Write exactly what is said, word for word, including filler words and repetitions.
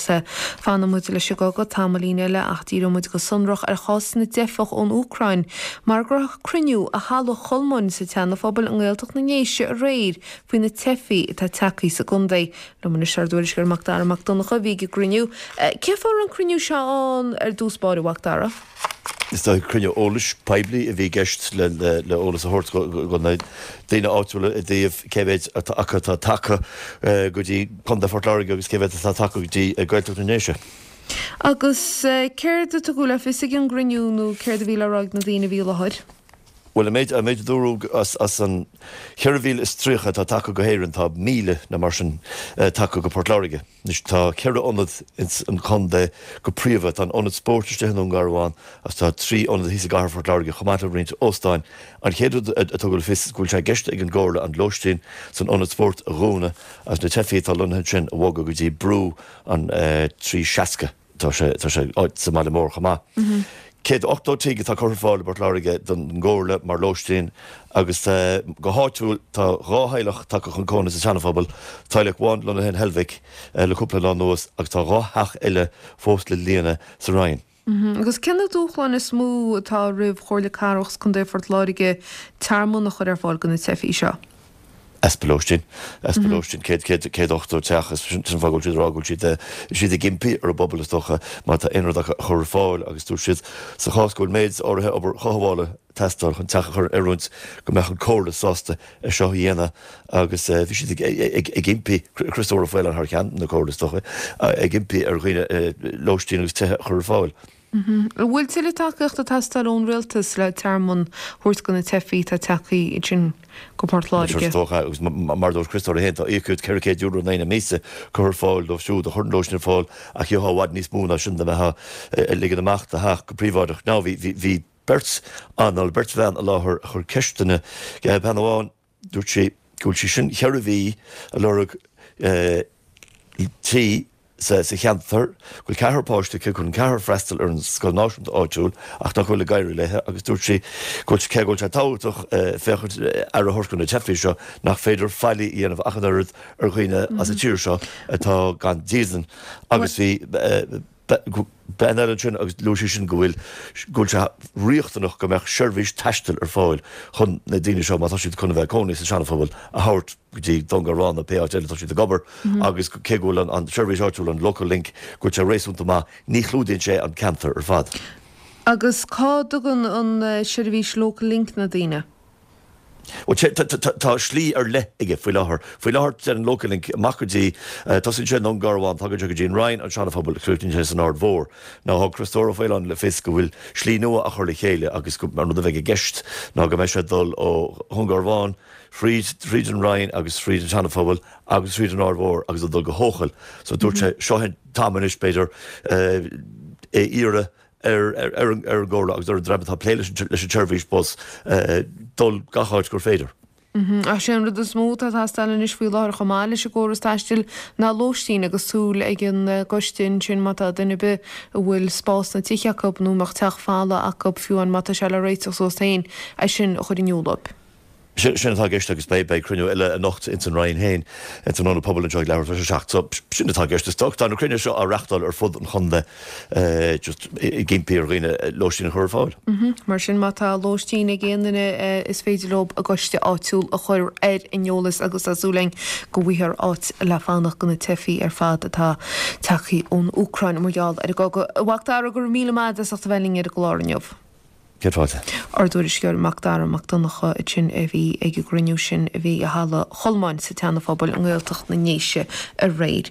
Fanfaidh muid leis an gcogadh tamaillín eile ach díreoidh muid go sonrach ar chás na dteifeach ón Úcráin, mar go raibh cruinniú i Halla Cholmáin sa tSeana-Phobal i nGaeltacht na nDéise aréir faoi na teifigh atá tagtha sa gcontae. Liom anois ár dtuairisceoir Macdara Mac Donncha a bhí ag an gcruinniú. Cén fáth a raibh an cruinniú seo ann ar dtús báire, a Mhacdara? Is dóigh cruinniú eolais poiblí a bhí i gceist le le eolas a thabhairt do na daoine áitiúla i dtaobh cé mhéid atá acu atá tagtha go dtí Contae Phort Láirge agus cé mhéad atá tagtha go dtí Gaeltacht na nDéise. Agus céard a tugadh le fios ag an gcruinniú nó céard a bhí le rá ag na daoine a bhí i láthair? Bhuel, an méid an méid a dúradh as as an cheithre mhíle is tríocha atá tagtha go hÉirinn tá míle nó mar sin tagtha go Port Láirge. Anois tá ceithre ionad ins an chontae go príomha. Tá an ionad spóirt istigh i nDún Garbhán agus tá trí ionad thíos i gcathair Phort Láirge chomh maith le roinnt óstáin. An chéad rud a tugadh le fios go bhfuil sé i gceist ag an gComhairle an lóistín san ionad spóirt a dhúnadh agus na teifigh atá lonnaithe ansin a bhogadh go dtí Brú an trí seasca. Tá sé tá sé sa mbaile mór chomh maith. Céad ochtó tigh atá curtha ar fáil i bPort Láirge don gComhairle mar lóistín agus go háitiúil tá dhá theaghlach tagtha chun cónaí sa Seana-Phobal, teaghlach amháin lonnaithe in Heilbhic le cúpla lá anuas agus tá dhá theach eile fós le líonadh sa Rinn. Agus cé na dúshláin is mó atá roimh Chomhairle Cathrach is Contae Phort Láirge tearmann a chur ar fáil do na teifigh seo? Easpa lóistín. Easpa lóistín. Céad, céad, céad ochtó teach. Is sin an fáth go bhfuil siad ag rá go bhfuil siad, siad ag impí ar an bpobal is dócha má tá aon rud acu a chur ar fáil agus dúirt siad sa chás go bhfuil méid áirithe obair chothabhála ag teastáil chun teach a chur in oiriúint go mbeadh an Comhairle sásta é seo a dhéanamh agus bhí siad ag, ag, ag impí, Criostóir Ó Faoláin thar ceann na Comhairle is dócha, ag impí ar dhaoine lóistín agus tithe a chur ar fáil. An bhfuil tuilleadh tacaíochta ag teastáil ón Rialtas le tearmann a thabhairt do na teifigh atá tagtha ansin go Port Láirge? Is dócha, agus mar a dúirt Criostóir é féin, tá íocaíocht ceithre chéad euro in aghaidh na míosa curtha ar fáil dóibh siúd a chuireann lóistín ar fáil ach gheofá i bhfad níos mó ná sin dá mbeifeá ag ligean amach do theach go príobháideach. Now bhí bhí beirt ann, beirt bhean i láthair a chuir ceisteanna, bean amháin, dúirt sí go bhfuil sí sin ceithre mhí ag lorg tí sa cheantar, go bhfuil ceathrar páiste aici, chun an ceathrar freastal ar an scoil náisiúnta áitiúil ach nach bhfuil ag éirí léi agus dúirt sí go bhfuil cé go bhfuil sé tábhachtach féachaint aire a thabhairt do na teifigh seo nach féidir faillí a dhéanamh ach an oiread ar dhaoine as an tír seo atá gan dídean agus bhí bean eile ansin agus luaigh sí sin go bhfuil go bhfuil sé riachtanach go mbeadh seirbhís taistil ar fáil chun na daoine seo má tá siad chun a bheith ag cónaí sa Seana-Phobal a thabhairt go dtí Dún Garbhán nó pé áit eile atá siad ag obair agus cé go bhfuil an an seirbhís áitiúil an Local Link go bhfuil sé réasúnta maith ní chlúdaíonn sé an ceantar ar fad. Agus cá dtugann an seirbhís Local Link na daoine? Bhuel, tá slí ar leith aige faoi láthair. Faoi láthair, téann Local Link amach go dtí, tosaíonn sé i nDún Garbhán, tagann sé go dtí an Rinn, an Seana-Phobal, críochnaíonn sé san Aird Mhór. Now, thug Criostóir Ó Faoláin le fios go bhfuil slí nua á chur le chéile agus go, an rud a bheidh i gceist ná go mbeidh sé ag dul ó Dhún Garbhán thríd, thríd an Rinn agus thríd an Seana-Phobal agus thríd an Aird Mhór agus ag dul go hEochaill. So dúirt sé, seo é an t-am anois, b'fhéidir, é a iarraidh ar an gComhairle agus ar an dream atá ag plé leis an tseirbhís bus dul gach áit gur féidir. Ach sé an rud is mó atá ag teastáil anois faoi láthair chomh maith leis an gcóras taistil ná lóistín agus súil ag an gcoiste ansin má tá duine ar bith a bhfuil spás sna tithe acu nó a mbeadh teach folamh acu fiú amháin má tá sé le réiteach suas féin é sin a chur in iúl dóibh. Sin atá i gceist agus beidh cruinniú eile anocht ins an Rinn féin, ins an Ionad Pobail anseo ag leathuair tar éis a seacht. So, sin atá i gceist. Is dócha, tá na cruinnithe seo á reachtáil ar fud an chontae just ag impí ar dhaoine lóistín a chur ar fáil. Mar sin, má tá lóistín ag aon duine is féidir leo a gcoiste áitiúil a chur ar an eolas agus tá súil againn go bhfaighfear áit le fanacht do na teifigh ar fad atá tagtha ón Úcráin mar gheall ar an gcogadh. A Mhac Dara, go raibh míle maith agat as ucht a bheith linn ar an gclár inniu. Céad fáilte. Ár dtuairisceoir Macdara Mac Donncha ansin a bhí ag an gcruinniú sin a bhí i Halla Cholmáin sa tSeana-Phobal i nGaeltacht na nDéise aréir.